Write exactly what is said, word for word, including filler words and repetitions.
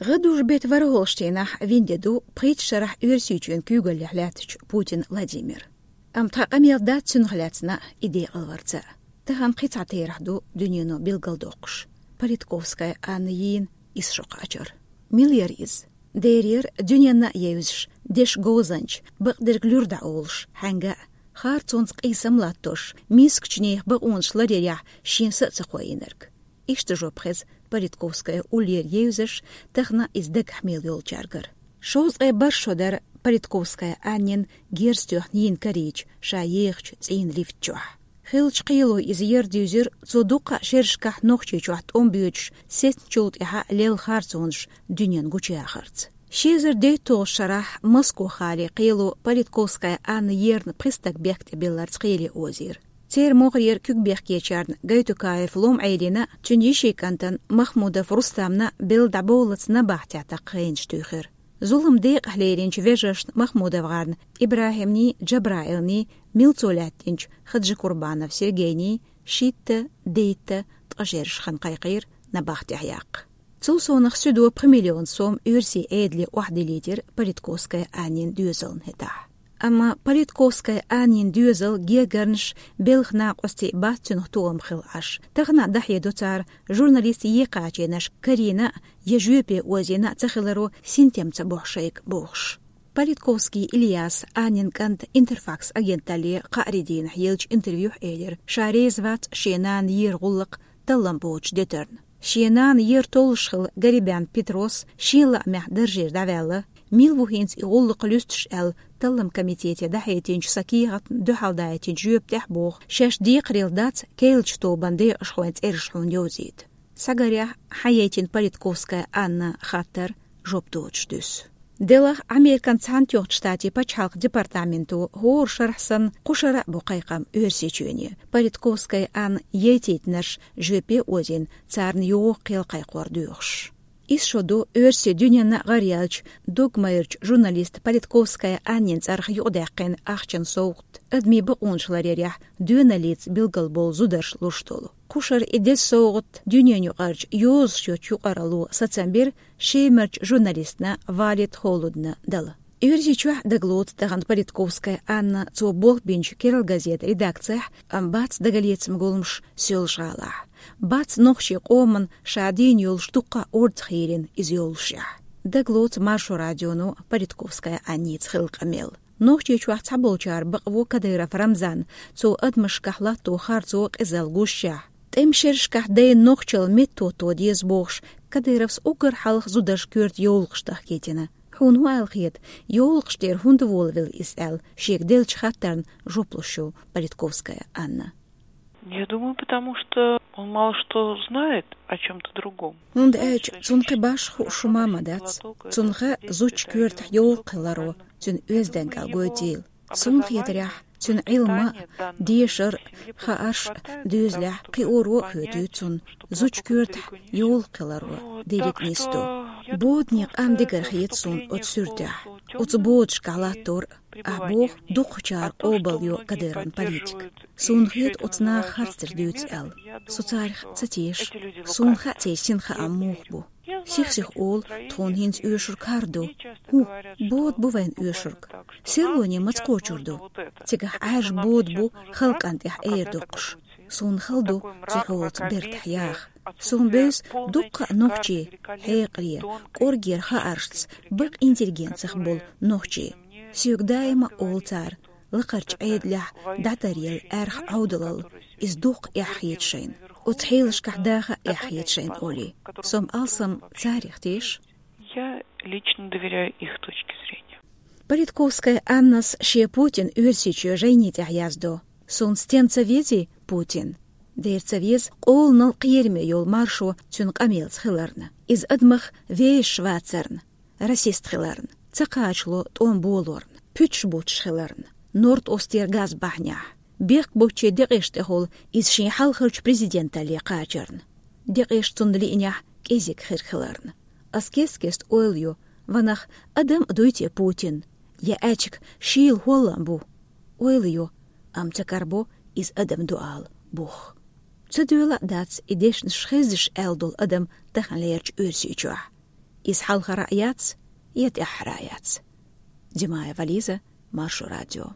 ГӀадужу бетта ворхӀалгӀачу дийнахь вина де ду пхийтта шарахь Оьрсийчоьнан куьйгаллехь лаьттачу Путин Владимир. Амма тхан къамел дац цунах лаьцна и декъалварца. Тахана кхин цхьа терахь ду дуьнено билгалдоккхуш. Политковская Анна йийна исс шо кхачар. Мила яра иза? Дера яра дуьненна а евзаш, дешан говзанча, бакъдерг луьра дӀаолуш, хьаьнга а, харцонца къийсам латтош, мискачу нехан бакъонаш ларъярехь шен са а ца кхоийнарг. Иштта жоп хеза Политковская уллера евзаш, тахана иза дагахь мел йолчаьргара. Шовзткъе бархӀ шо дара Политковская Аннин герз тоьхна йийна карийча, ша ехачу цӀийнан лифта чохь. Хиллачу кхело иза ер дуьйзира цо дуккха а шерашкахь Нохчийчохь тӀом боьдуш, сецначул тӀаьхьа лелла харцонаш дуьненна гучуяхарца. Ши эзар дейтталгӀачу шарахь Москва-гӀалин кхело Политковская Анна ерна пхи стаг бехк тӀе билларца кхеле озийра. Церан могӀарера куьгбехкечарна Гайтукаев Лом-Ӏелина, цуьнан йишин кӀантана Махмудов Рустамна белла дӀабовллалц набахтехь такха хенаш туьйхира. Зулам декъахь леринчу вежаршна МахмудовгӀарна ИбрахӀимний, Джабраилний, милцо лаьттинчу Хаджикурбанов Сергейний шийтта, дейтта, ткъа шераш хан кхайкхийра набахтехь яккха. Цул совнаха суьдо пхи миллион сом оьрсийн Ӏедале охьадиллийтира Политковская Аннин доьзална хӀетахь. Амма Политковская Аннин доьзал, гергарнаш, белхан накъостий бац цунах тоам хилла Ӏаш. Тахана а дӀахьедо цара, журналист екхачийнаш карийна а, я жоьпе озийна а ца хиларо синтем ца бохьу шайга бохуш. Политковский Ильяс, Аннин кӀанта, Интерфакс агенталле кхаарин дийнахь еллачу интервьюхь элира, ша реза вац шен нана ера гӀуллакх таллам боцучу детарна. Шен нана ер толлуш хилла Гарибян Петрос шен лаамехь даржера дӀаваьлла, мила ву хӀинца и гӀуллакх луьстуш аьлла, таллам комитете дӀахьединчу сан кехатна дуьхьалдаийтинчу жоьпа тӀехь боху, шаьш декхарийла дац керлачу тобанан декъашхойн цӀераш хьуна йовзийта. Схьагарехь, хьан яйтина Политковская Анна хаттар жоп доцуш дуьсу. Делахь, Американ Цхьаьнатоьхначу Штатийн пачхьалкхан департаменто хӀора шарахь санна кху шарахь а бу кхайкхам Оьрсийчоьне. Политковская Анна яйтийтинарш жоьпе озийна, царна йогӀу кхел кхайкхор доьхуш. Исс шо ду оьрсийн дуьненна а гӀараяьллачу догмайрачу журналиста Политковская Аннин цӀарах юкъадаьккхина ахчан совгӀат, адамийн бакъонаш ларъярехь доьналлица билгалбовлу зударша луш долу. Кху шарахь и деза совгӀат дуьненаюкъарчу йозуш йоцчу юкъаралло сацам бира Шемарчу журналистна Валид Холудна дала. Оьрсийчохь дагалоцу тахана Политковская Анна, цо болх бинчу «Керла газета» редакцехь, амма бац дагалецаман гуламаш Соьлжа-ГӀалахь. Бац нохчийн къоман ша дийна йолуш дуккха а орцах йийрина иза йоллушехь. Дагалоцу Маршо радионо Политковская Анница хилла къамел. Нохчийчохь цхьаболчара бакъво Кадыров Рамзан, цо адамашкахь латто харцо, къизалла гушшехь. ТӀеман шерашкахь дайна нохчалла меттаотто деза бохуш, Кадыровс уггар хьалха зударшна коьрта йовлакхаш тахкийтина. Хьуна хӀун аьлла хета, йовлакхаш тӀера хӀунда волавелла иза аьлла, шега деллачу хаттарна жоп луш ю Политковская Анна. Я думаю, потому что он мало что знает о чём-то другом. ХӀунда аьлча цунна кхин башха хууш хӀума ма дац. Цунна хаьа зудчун коьртахь йовлакх хиларо, цуьнан оьздангалла гойтийла. Суна хетарехь, цуьнан Ӏилма а, дешар а, хаарш а доьзалехь кхиоро а хӀоьтуьйту цунна, зудчун коьртахь йовлакх хиларо дерриг а нисдо. Бодане къам дигар хета суна оцу суьртехь, оцу бодашкахь латтор а. Ахь боху, дукхачара къобалйо Кадыровн политика. Суна хета оцу наха харцдерг дуьйцу аьлла. Со царах ца теша. Суна хаьа церан синхаам муха бу. Сих-сиха олу, тхуна хӀинца оьшург хӀара ду. ХӀун, бода бу вайна оьшург? Серлоне маца кхочур ду? Цигахь Ӏаьржа бода бу халкъана тӀехь эр доккхуш. Суна хала ду цу хьолаца бертахь яха. Суна бевза дуккха а нохчий, хьекъале, кӀоргера хааршца, бакъ интеллигенцих болу нохчий. Соьга даима олу цара, лакхарчу Ӏедалехь дӀатаръелла аьрха Ӏовдалалла, иза дуккха эхь хета шайна. Оцу хьелашкахь даха а эхь хета шайна олий. Со-м алсам царах теша. Я лично доверяю их точке зрения. Политковская Аннас шен Путин Оьрсийчоь жайни тӀехь яздо: «Суна стенна ца везий Путин?» Дера ца веза, къоланал кхераме йолу Маршо цуьнан къамелца хиларна. Иза адамах вешаш вацарна, расист хиларна, ца кхачало тӀом болорна, пуьташ буттуш хиларна, Норд-Остера газ бахьанехь. Бехк боцчийн декъеша тӀехула иза шен хьалхарчу президенталле кхачарна. Декъеша цунна лиънехь кӀезиг хир хиларна. Ас кест-кеста ойла йо, ванах, адам а дуй те Путин? Я аьчиг шийла хӀоллам бу? Ойла йо, амма ца карабо иза адам ду ала бух. Ца доьла а дац и дешнаш хездеш аьлла долу адам таханлерчу Оьрсийчохь. Из хьалхара яц, я тӀехьара яц. Димаева Лиза, Маршо радио.